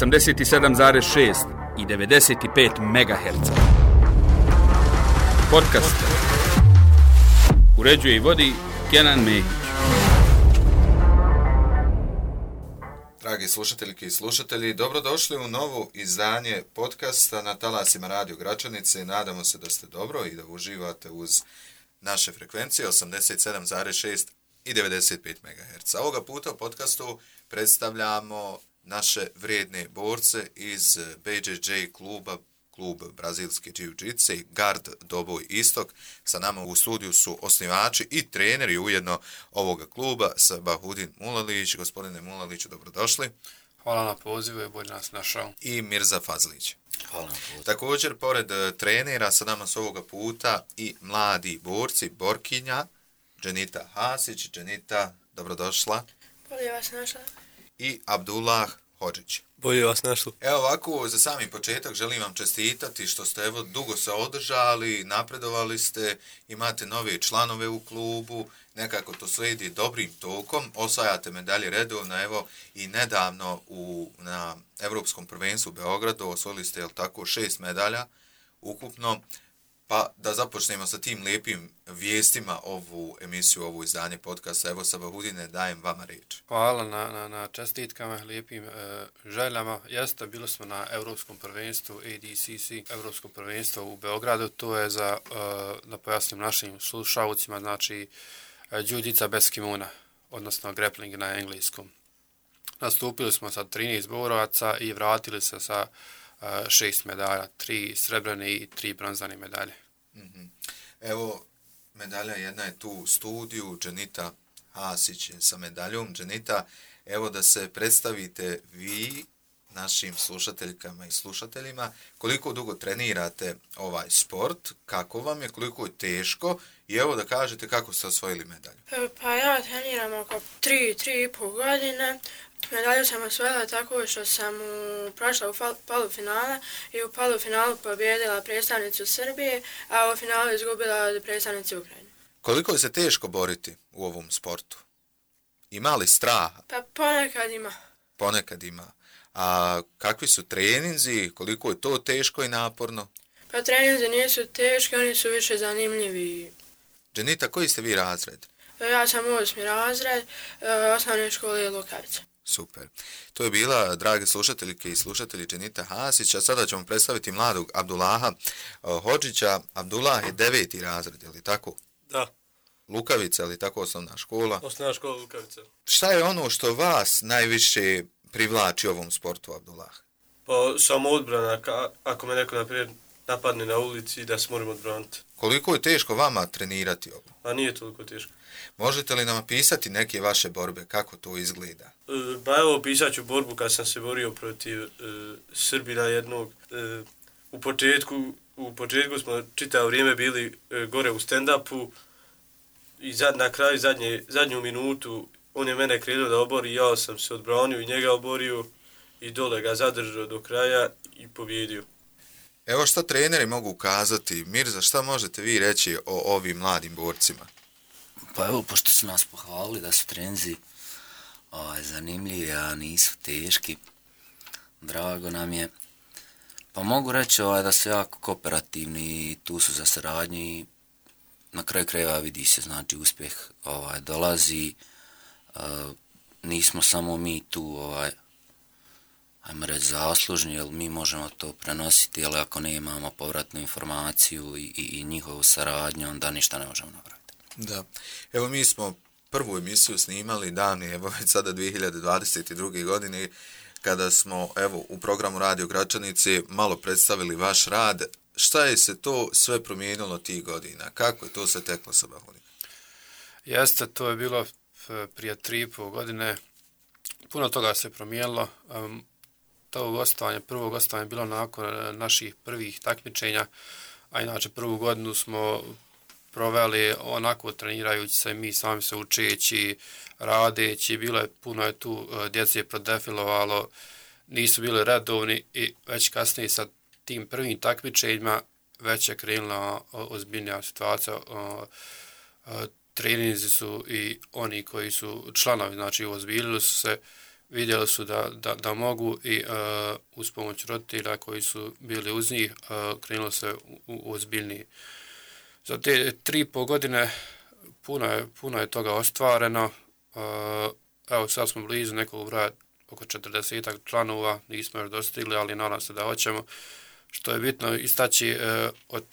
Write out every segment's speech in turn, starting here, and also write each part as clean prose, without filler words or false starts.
87,6 i 95 MHz. Podcast uređuje i vodi Kenan Mehić. Dragi slušateljke i slušatelji, dobrodošli u novo izdanje podcasta na talasima Radio Gračanice. Nadamo se da ste dobro i da uživate uz naše frekvencije 87,6 i 95 MHz. Ovoga puta u podcastu predstavljamo naše vrijedne borce iz BJJ kluba, klub brazilske jiu-jitsu, Gard Doboj Istok. Sa nama u studiju su osnivači i treneri ujedno ovoga kluba, Sabahudin Mulalić. Gospodine Mulaliću, dobrodošli. Hvala na pozivu i bolje nas našao. I Mirza Fazlić. Hvala na pozivu. Također, pored trenera, sa nama su ovoga puta i mladi borci, borkinja, Dženita Hasić. Dženita, dobrodošla. Bolje vas našla. I Abdullah Hodžić. Bolje vas našlo. Evo ovako, za sami početak želim vam čestitati što ste evo dugo se održali, napredovali ste, imate nove članove u klubu, nekako to sve ide dobrim tokom, osvajate medalje redovno, evo i nedavno na Evropskom prvenstvu u Beogradu osvojili ste, jel tako, 6 medalja ukupno. Pa da započnemo sa tim lijepim vijestima ovu emisiju, ovo izdanje podcasta. Evo, Sabahudine, dajem vama riječ. Hvala na čestitkama, lijepim željama. Jeste, bili smo na Europskom prvenstvu ADCC, Europskom prvenstvu u Beogradu. To je za, da pojasnim našim slušalcima, znači jiu-jitsu bez kimona, odnosno grappling na engleskom. Nastupili smo sa 13 borovaca i vratili se sa 6 medalja, 3 srebrne i 3 bronzane medalje. Evo, medalja jedna je tu u studiju, Dženita Hasić sa medaljom. Dženita, evo da se predstavite vi našim slušateljkama i slušateljima, koliko dugo trenirate ovaj sport, kako vam je, koliko je teško i evo da kažete kako ste osvojili medalju. Pa ja treniram oko 3,5 godine. Medalju sam osvojila tako što sam prošla u polufinale i u polufinalu pobijedila predstavnicu Srbije, a u finalu izgubila predstavnicu Ukrajine. Koliko je se teško boriti u ovom sportu? Ima li straha? Pa ponekad ima. Ponekad ima. A kakvi su treninzi? Koliko je to teško i naporno? Pa treninzi nisu teški, oni su više zanimljivi. Dženita, koji ste vi razred? Ja sam 8. razred osnovne škole Lukavica. Super. To je bila, drage slušateljke i slušatelji, Dženita Hasić, a sada ćemo predstaviti mladog Abdullaha Hodžića. Abdullah je 9. razred, je li tako? Da. Lukavica, je li tako osnovna škola? Osnovna škola Lukavica. Šta je ono što vas najviše privlači ovom sportu, Abdullah? Pa samo odbrana, ako me neko naprijed napadne na ulici, da se moram odbraniti. Koliko je teško vama trenirati ovo? A nije toliko teško. Možete li nam opisati neke vaše borbe, kako to izgleda? Pa evo, opisat ću borbu kad sam se borio protiv Srbina jednog. U početku smo čitavo vrijeme bili gore u stand-upu i na kraju zadnju minutu on je mene krenuo da obori, ja sam se odbranio i njega oborio i dole ga zadržao do kraja i pobjedio. Evo šta treneri mogu kazati. Mirza, šta možete vi reći o ovim mladim borcima? Pa evo, pošto su nas pohvalili da su treninzi zanimljivi, a nisu teški, drago nam je. Pa mogu reći da su jako kooperativni i tu su za saradnju i na kraju krajeva vidi se, znači uspjeh dolazi. Nismo samo mi tu, ajmo reći, zaslužni, jer mi možemo to prenositi, ali ako ne imamo povratnu informaciju i njihovu saradnju, onda ništa ne možemo napraviti. Da. Evo mi smo prvu emisiju snimali davni, evo već sada 2022. godine, kada smo evo u programu Radio Gračanice malo predstavili vaš rad. Šta je se to sve promijenilo tih godina? Kako je to se teklo, Sabahudin? Jeste, to je bilo prije 3,5 godine. Puno toga se promijenilo. Prvo gostovanje bilo nakon naših prvih takmičenja, a inače prvu godinu smo proveli onako trenirajući se, mi sami se učeći, radeći, puno je tu djece prodefilovalo, nisu bili redovni i već kasnije sa tim prvim takmičenjima već je krenula ozbiljnija situacija. Treninzi su i oni koji su članovi, znači ozbiljili su se, vidjeli su da mogu i uz pomoć roditelja koji su bili uz njih krenulo se u ozbiljniji. Za te 3,5 godine puno je toga ostvareno. Evo sad smo blizu nekog broja oko 40 članova, nismo još dostigli, ali nadam se da hoćemo. Što je bitno istaći od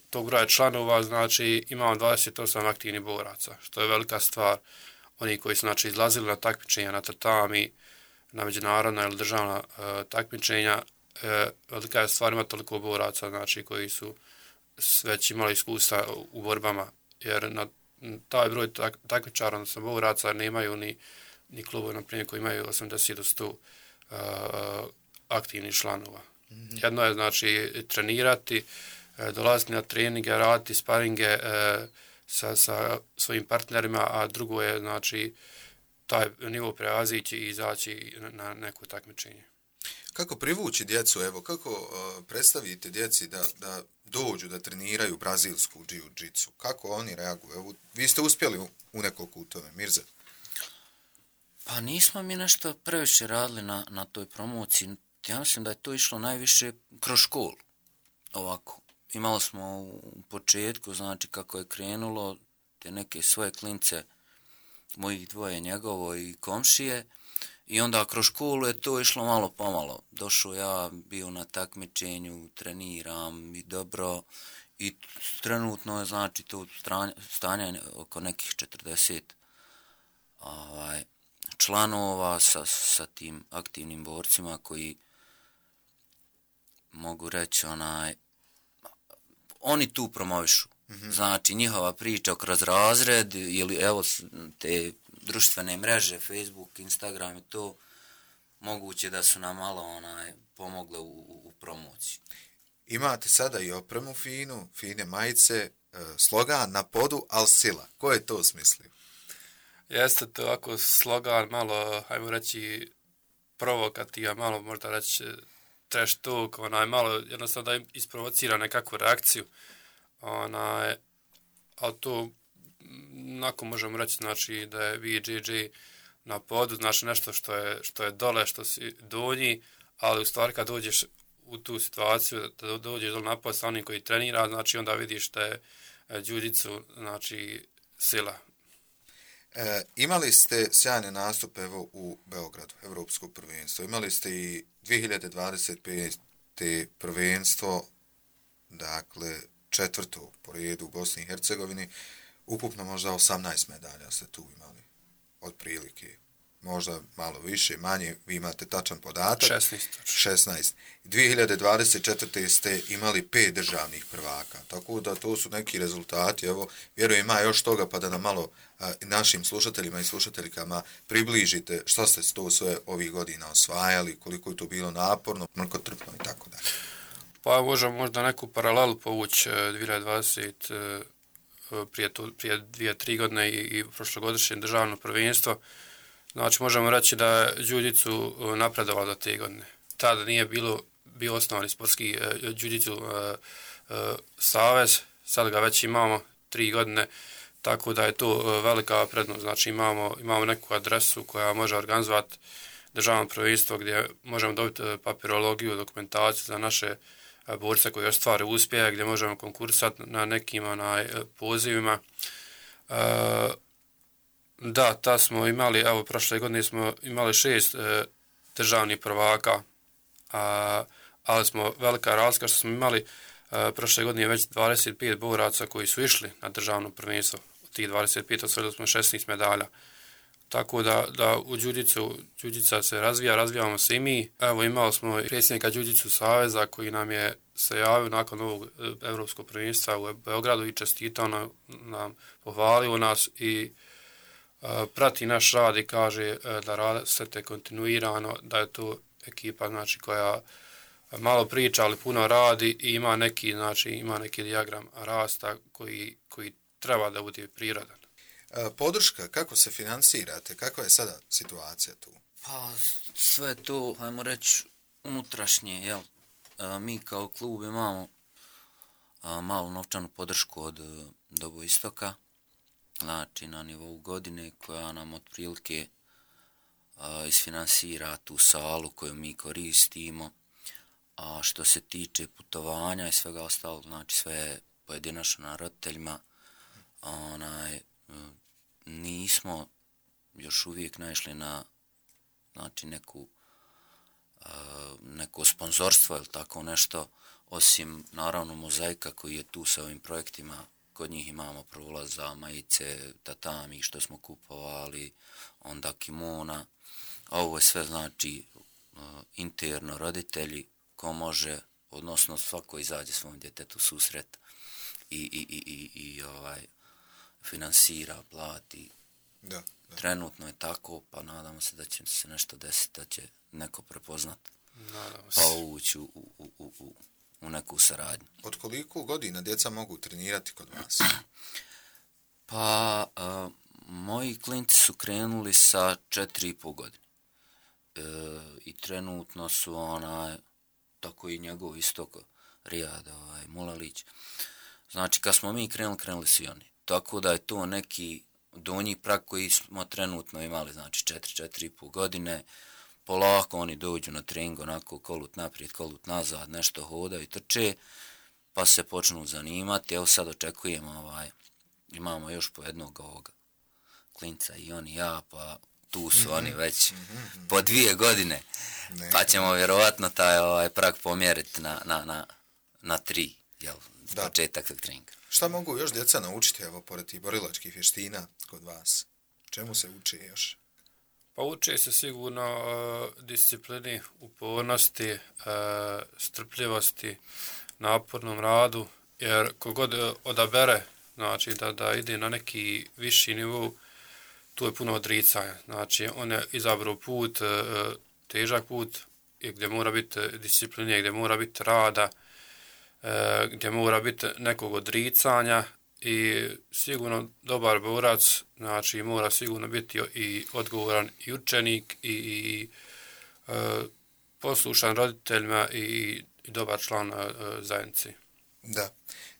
tog broja članova, znači imamo 28 aktivnih boraca, što je velika stvar. Oni koji su znači izlazili na takmičenja na tatami, na međunarodna ili državna takmičenja, velika je stvar ima toliko boraca, znači koji su već imali iskustva u borbama, jer na taj broj takmičara, odnosno boraca, nemaju ni klubovi, na primjer, koji imaju 80 do 100 aktivnih članova. Jedno je, znači, trenirati, dolaziti na treninge, raditi sparinge sa svojim partnerima, a drugo je, znači, taj nivo prevazići i izaći na neko takmičenje. Kako privući djecu, evo, kako predstavite djeci da dođu da treniraju brazilsku jiu-jitsu? Kako oni reaguju? Evo, vi ste uspjeli u nekoliko u tome, Mirza? Pa nismo mi nešto previše radili na toj promociji. Ja mislim da je to išlo najviše kroz školu. Ovako, imali smo u početku, znači kako je krenulo, te neke svoje klince, mojih dvoje, njegovo i komšije, i onda kroz školu je to išlo malo pomalo. Došao ja, bio na takmičenju, treniram i dobro, i trenutno je, znači, to stanje oko nekih 40 članova sa tim aktivnim borcima koji mogu reći oni tu promovišu. Znači njihova priča kroz razred ili evo te društvene mreže, Facebook, Instagram i to moguće da su nam malo pomogle u promociji. Imate sada i opremu fine majice, slogan na podu, al sila. Ko je to smislio? Jeste to ako slogan malo, hajmo reći, provokativan, malo možda reći trash talk, malo jednostavno da im isprovocira nekakvu reakciju. Ali to, onako možemo reći, znači da je BJJ na podu, znači nešto što je dole, što si donji, ali u stvari kad dođeš u tu situaciju, da dođeš dole na pod sa onim koji trenira, znači onda vidiš da je jiu-jitsu, znači sila. Imali ste sjajne nastupe evo u Beogradu, Evropsko prvenstvo. Imali ste i 2025. prvenstvo, dakle 4. po redu u Bosni i Hercegovini. Ukupno možda 18 medalja ste tu imali, otprilike. Možda malo više, manje, vi imate tačan podatak. 16. 2024. ste imali 5 državnih prvaka, tako da to su neki rezultati. Evo, vjerujem ima još toga pa da nam malo našim slušateljima i slušateljkama približite što ste to sve ovih godina osvajali, koliko je to bilo naporno, mrkotrpno i tako dalje. Pa možemo možda neku paralelu povući 2020 prije 2-3 godine i prošlogodišnje državno prvenstvo. Znači, možemo reći da je jiu-jitsu napredovalo do te godine. Tada nije bio osnovani sportski jiu-jitsu savez, sad ga već imamo 3 godine, tako da je to velika prednost. Znači, imamo neku adresu koja može organizovati državno prvenstvo gdje možemo dobiti papirologiju, dokumentaciju za naše borce koji ostvare uspjehe, gdje možemo konkursati na nekim pozivima. Da, ta smo imali, evo, prošle godine smo imali 6 državnih prvaka, ali smo velika razlika što smo imali prošle godine već 25 boraca koji su išli na državno prvenstvo. Od tih 25 osvojili smo 16 medalja. Tako da u jiu-jitsu se razvijamo se i mi. Evo, imali smo predsjednika Jiu-jitsu saveza koji nam je se javio nakon ovog evropskog prvenstva u Beogradu i čestitao nam, pohvalio nas i prati naš rad i kaže da radite kontinuirano, da je to ekipa, znači, koja malo priča, ali puno radi i ima neki dijagram rasta koji treba da bude prirodan. Podrška, kako se finansirate? Kakva je sada situacija tu? Pa sve to, hajmo reći, unutrašnje, jel? Mi kao klub imamo malu novčanu podršku od Dobo Istoka, znači na nivou godine, koja nam otprilike isfinansira tu salu koju mi koristimo, a što se tiče putovanja i svega ostalog, znači sve pojedinačno na roditeljima, nismo još uvijek naišli na znači neko sponzorstvo ili tako nešto, osim naravno Mozaika koji je tu sa ovim projektima. Kod njih imamo prolaz za majice, tatami što smo kupovali, onda kimona, a ovo je sve znači interno roditelji ko može, odnosno svako izađe svom djetetu susret i finansira, plati. Da. Trenutno je tako, pa nadamo se da će se nešto desiti, da će neko prepoznati, pa ući u neku saradnju. Od koliko godina djeca mogu trenirati kod vas? Pa, moji klinci su krenuli sa 4,5 godine. I trenutno su tako i njegov istok Rijad, Mulalić. Znači, kad smo mi krenuli svi oni. Tako da je to neki donji prag koji smo trenutno imali, znači 4,5 godine. Polako oni dođu na trening, onako kolut naprijed, kolut nazad, nešto hodaju i trče, pa se počnu zanimati. Evo sad očekujemo, imamo još po jednog ovoga klinca i on i ja, pa tu su oni već po 2 godine, pa ćemo vjerovatno taj prag pomjeriti na 3, jel, početak tog treninga. Šta mogu još djeca naučiti, evo, pored tih borilačkih vještina kod vas? Čemu se uče još? Pa uče se sigurno disciplini, upornosti, strpljivosti, napornom radu, jer kogod odabere, znači da ide na neki viši nivou, tu je puno odricanja. Znači on je izabrao put, težak put, gdje mora biti discipline, gdje mora biti rada, gdje mora biti nekog odricanja i sigurno dobar borac, znači mora sigurno biti i odgovoran i učenik i poslušan roditeljima i dobar član zajednici.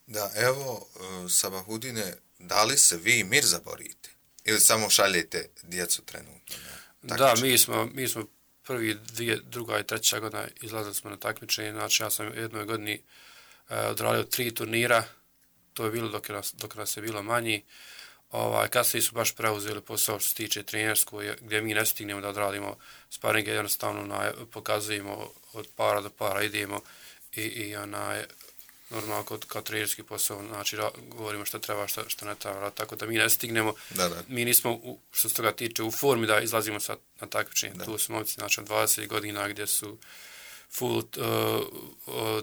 Da, evo, Sabahudine, da li se vi Mirza borite? Ili samo šaljete djecu trenutno? Da, mi smo prvi, druga i treća godina izlazili smo na takmičenje, znači ja sam u jednoj godini odradio 3 turnira, to je bilo dok nas je bilo manji. Kasnije su baš preuzeli posao što se tiče trenerskog, gdje mi ne stignemo da odradimo sparinge, jednostavno pokazujemo od para do para, idemo i normalno kao trenerski posao, znači govorimo što treba, što ne treba, tako da mi ne stignemo. Da. Mi nismo, što se toga tiče, u formi da izlazimo na takmičenje. Tu su momci, znači, od 20 godina gdje su full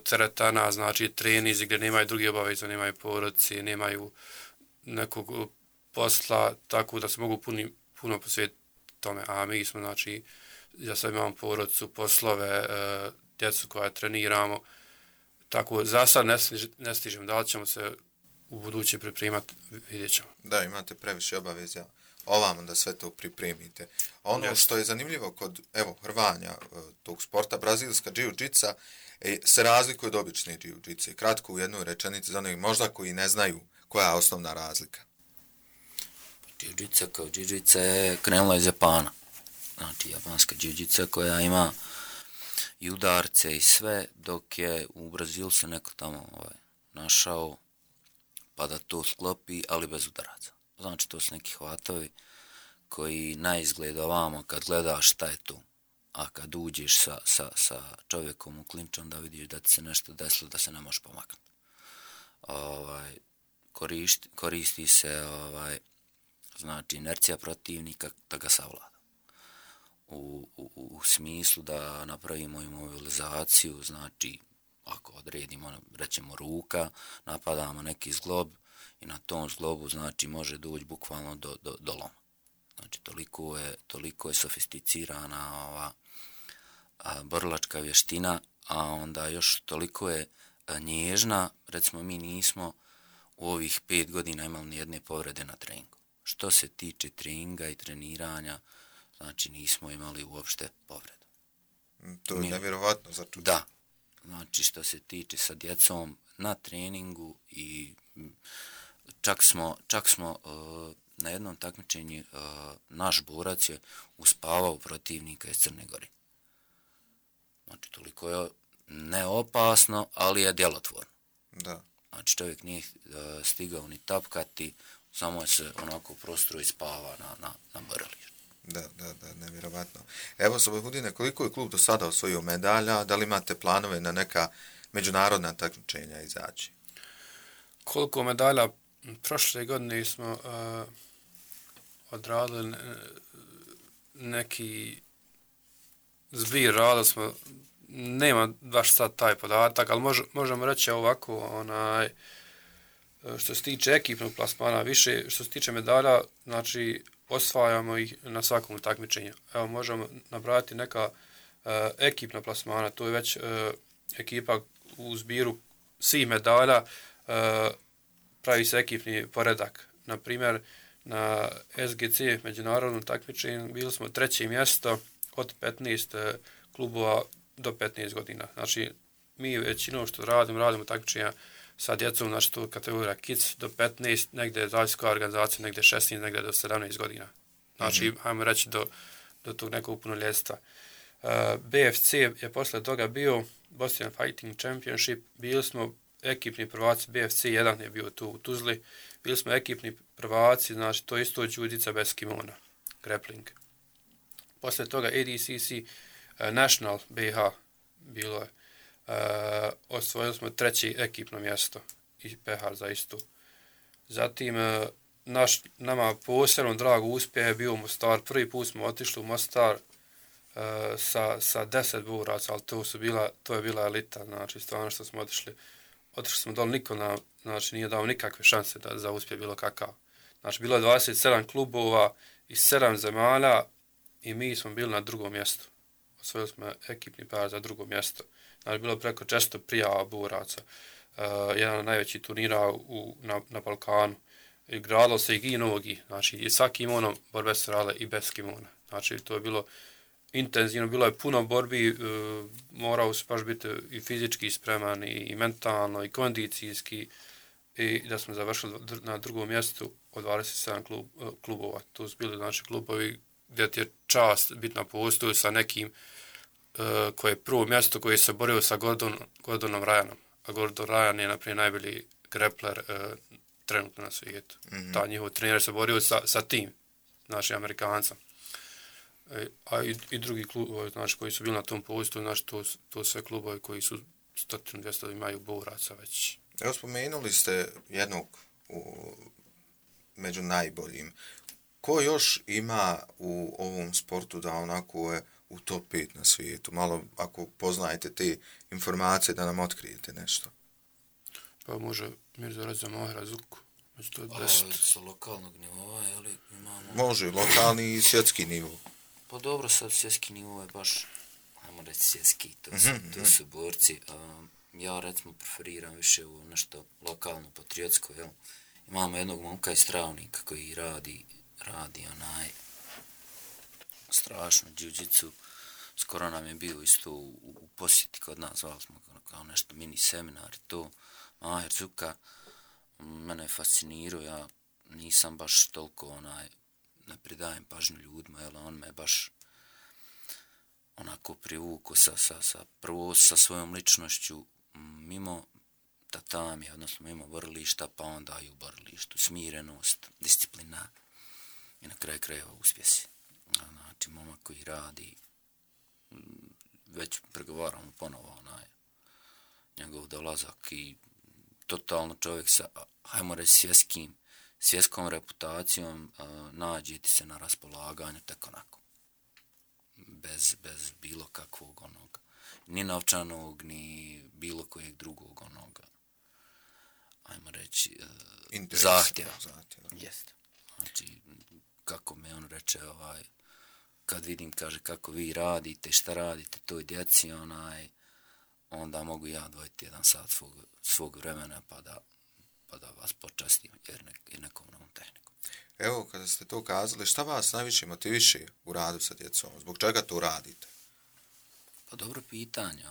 teretana, znači trenizi gdje nemaju drugi obaveza, nemaju porodice, nemaju nekog posla, tako da se mogu puno posvetiti tome. A mi smo, znači, ja sad imam porodicu, poslove, djecu koja treniramo, tako za sad ne stižem, da li ćemo se u buduće pripremati, vidjet ćemo. Da, imate previše obaveza ovamo da sve to pripremite. Ono što je zanimljivo kod, evo, hrvanja tog sporta, brazilska džiu-džica, se razlikuje od obične džiu-džice. Kratko u jednoj rečenici za onih možda koji ne znaju koja je osnovna razlika. Džiu-džica kao džiu-džica je krenula iz Japana. Znači, japanska džiu-džica koja ima i udarce i sve, dok je u Brazilu se neko tamo našao pa da to sklopi, ali bez udaraca. Znači, to su neki hvatovi koji na izgled ovamo kad gledaš šta je tu, a kad uđeš sa čovjekom u klinč, onda vidiš da ti se nešto desilo, da se ne možeš pomaknuti. Koristi se znači inercija protivnika da ga savlada. U smislu da napravimo imobilizaciju, znači ako odredimo, rećemo ruka, napadamo neki zglob i na tom zglobu znači može doći bukvalno do loma. Znači toliko je sofisticirana ova borilačka vještina, a onda još toliko je nježna, recimo mi nismo u ovih 5 godina imali nijedne povrede na treningu. Što se tiče treninga i treniranja, znači nismo imali uopšte povredu. To je nevjerovatno za čuti. Da, znači što se tiče sa djecom na treningu i čak smo na jednom takmičenju naš borac je uspavao protivnika iz Crne Gore. Znači, toliko je neopasno, ali je djelotvorno. Da. Znači, čovjek nije stigao ni tapkati, samo je se onako prostoru i spava na borilištu. Da, nevjerovatno. Evo, Salahudine, koliko je klub do sada osvojio medalja? Da li imate planove na neka međunarodna takmičenja izaći? Koliko medalja? Prošle godine smo odradili neki zbir rada smo, nema baš sad taj podatak, ali možemo reći ovako, što se tiče ekipnog plasmana, više što se tiče medalja, znači osvajamo ih na svakom takmičenju. Evo, možemo nabrati neka ekipna plasmana, to je već ekipa u zbiru svih medalja, pravi se ekipni poredak. Na primjer, na SGC međunarodnom takmičenju bili smo 3. mjesto od 15 klubova do 15 godina. Znači, mi većinom što radimo takmičenja sa djecom, znači to kategorija kids do 15, negdje zaviskoja organizacija, negdje 16, negdje do 17 godina. Znači, hajmo reći do tog nekog punoljetstva. BFC je posle toga bio Boston Fighting Championship, bili smo ekipni prvaci, BFC 1 je bio tu u Tuzli, bili smo ekipni prvaci, znači to isto judica bez kimona, grappling. Posle toga ADCC National BH bilo je, osvojili smo 3. ekipno mjesto i pehar za istu. Zatim, nama posebno drago uspjeh je bio u Mostar. Prvi put smo otišli u Mostar sa 10 boraca, ali to je bila elita, znači stvarno što smo otišli smo dole, niko nam, znači, nije dao nikakve šanse za uspjeh bilo kakav. Znači, bilo je 27 klubova iz 7 zemalja i mi smo bili na 2. mjestu. Osvojili smo ekipni par za 2. mjesto. Znači, bilo je preko 400 prijava boraca. Jedan od najvećih turnira na Balkanu. I gradilo se i gi nogi. Znači, i sa kimonom borbe se radile i bez kimona. Znači, to je bilo intenzivno, bilo je puno borbi, morao se baš biti i fizički spreman, i mentalno, i kondicijski, i da smo završili na 2. mjestu od 27 klubova. To su bili znači klubovi gdje ti je čast biti na postoju sa nekim koje je prvo mjesto koji se borio sa Gordonom Ryanom. A Gordon Ryan je naprijed najbolji grappler trenutno na svijetu. Ta njihov trener se borio sa tim, znači Amerikancem. A i drugi klubovi, znači, koji su bili na tom postoju, znači, to sve klubovi koji su 100-200 imaju boraca već. Evo, spomenuli ste jednog među najboljim. Ko još ima u ovom sportu da onako je u top 5 na svijetu? Malo, ako poznajete te informacije, da nam otkrijete nešto. Pa može Mirza Reza Mahera Zuku. To je 10. Sa lokalnog nivoa, ali imamo... Može, lokalni i svjetski nivo. Pa dobro, sad svjetski nivo je baš, ajmo reći svjetski, to su borci. Ja recimo preferiram više u nešto lokalno, patriotsko, jel? Imamo jednog momka iz Travnika koji radi strašno jiu-jitsu. Skoro nam je bio isto u posjeti kod nas, zvali smo kao nešto mini seminar i to. Maher Zuka, mene je fascinirao, ja nisam baš toliko ne pridajem pažnju ljudima, jel, on me baš onako privukao prvo sa svojom ličnošću mimo tatamija, odnosno mimo borilišta, pa onda i u borilištu, smirenost, disciplina i na kraju krajeva uspjesi. Znači, momak koji radi, već pregovaramo ponovo njegov dolazak i totalno čovjek sa, hajmo reći, svjetskom reputacijom, nađe ti se na raspolaganju tako onako. Bez bilo kakvog onoga. Ni novčanog, ni bilo kojeg drugog onoga. Ajmo reći, zahtjeva. Jeste. Znači, kako me on reče, kad vidim, kaže, kako vi radite, šta radite toj djeci, onda mogu ja odvojiti 1 sat svog vremena pa da vas počastim jer nekom novom tehnikom. Evo, kada ste to kazali, šta vas najviše motiviše u radu sa djecom? Zbog čega to radite? Pa dobro pitanje,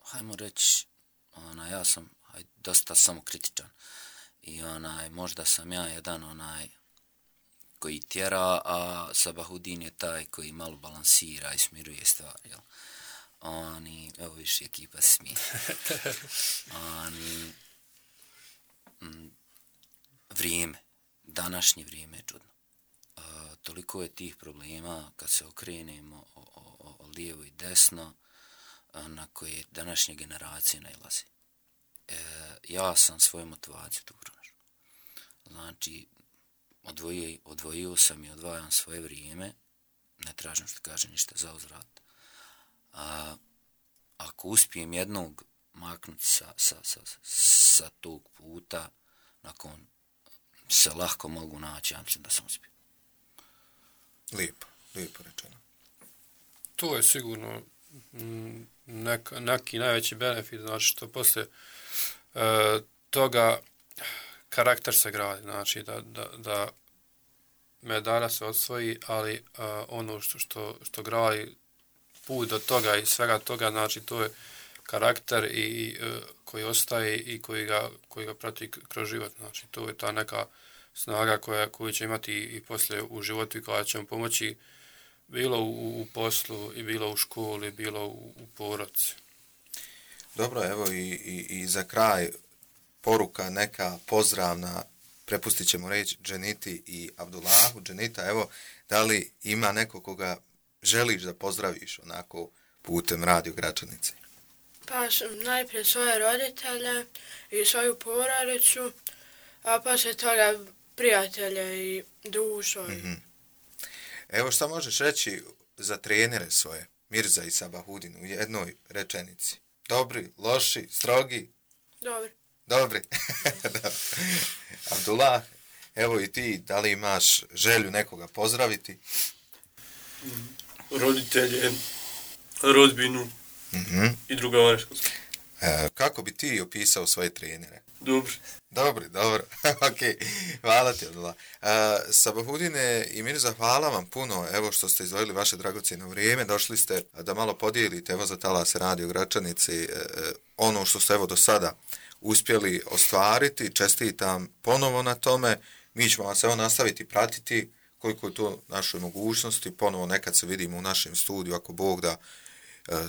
hajmo reći, ja sam, dosta samokritičan. I možda sam ja jedan koji tjera, a Sabahudin je taj koji malo balansira i smiruje stvari, jel? Evo više ekipa smije. Vrijeme, današnje vrijeme je čudno. Toliko je tih problema kad se okrenemo o lijevo i desno, na koje današnje generacije nailaze. Ja sam svoju motivaciju tu pronašao. Znači, odvojio sam i odvajam svoje vrijeme, ne tražim što kaže ništa za uzvrat. Ako uspijem jednog maknuti sa tog puta, nakon se lahko mogu naći, ja mislim da sam uspio. Lijepo rečeno. To je sigurno neki najveći benefit, znači što poslije toga karakter se gradi, znači da medalja se osvoji, ali ono što gradi put do toga i svega toga, znači to je karakter i koji ostaje i koji ga prati kroz život, znači to je ta neka snaga koju će imati i poslije u životu i koja će vam pomoći bilo u poslu i bilo u školi, bilo u porodici. Dobro, evo i za kraj poruka neka pozdravna, prepustit ćemo reći Dženiti i Abdullahu. Dženita, evo, da li ima neko koga želiš da pozdraviš onako putem Radio Gračanice? Pa najprije svoje roditelje i svoju porodicu, a poslije toga prijatelje i društvo. Mm-hmm. Evo šta možeš reći za trenere svoje, Mirza i Sabahudin, u jednoj rečenici? Dobri, loši, strogi? Dobri. Abdullah, evo i ti, da li imaš želju nekoga pozdraviti? Roditelje, rodbinu i druga vanjškolska. Kako bi ti opisao svoje trenere? Dobro. Ok, hvala ti, Abdullah. Sabahudine i Mirza, hvala vam puno, evo što ste izdvojili vaše dragocjeno vrijeme, došli ste da malo podijelite, evo za Talas Radio Gračanici, ono što ste evo do sada uspjeli ostvariti, čestitam ponovo na tome, mi ćemo vas evo nastaviti pratiti, koliko je to našoj mogućnosti, ponovo nekad se vidimo u našem studiju, ako Bog da,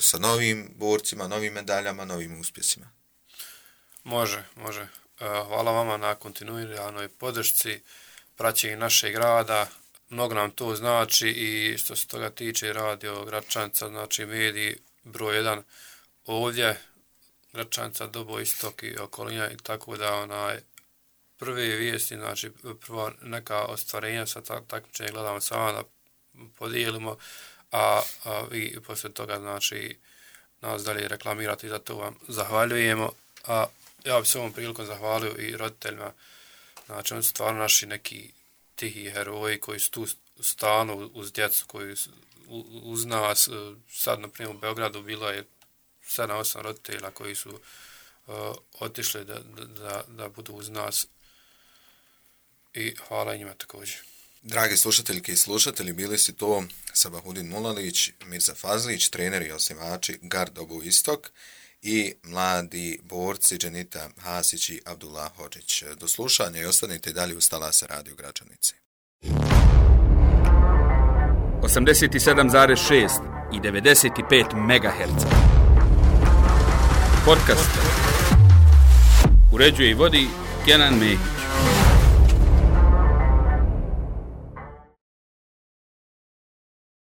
sa novim borcima, novim medaljama, novim uspjesima. Može. Hvala vama na kontinuiranoj podršci, praćenju našeg rada. Mnogo nam to znači i što se toga tiče Radio Gračanica, znači mediji broj 1 ovdje, Gračanica, Dobo, Istok i okolina i tako da prve vijesti, znači prva neka ostvarenja sa takmičenja gledamo sama da podijelimo, a vi poslije toga znači nas dalje reklamirati, za to vam zahvaljujemo, a ja bih se ovom prilikom zahvalio i roditeljima, znači oni su stvarno naši neki tihi heroji koji su tu stanu uz djecu, koji uz nas, sad na primjer u Beogradu bilo je 7-8 roditelja koji su otišli da budu uz nas i hvala njima također. Dragi slušateljke i slušatelji, bili su to Sabahudin Mulalić, Mirza Fazlić, treneri i osnivači Gard Dobu Istok i mladi borci Dženita Hasić i Abdullah Hodžić. Do slušanja i ostanite dalje uz Talasa Radio Gračanice. 87,6 i 95 MHz. Podcast. Uređuje i vodi Kenan Mehić.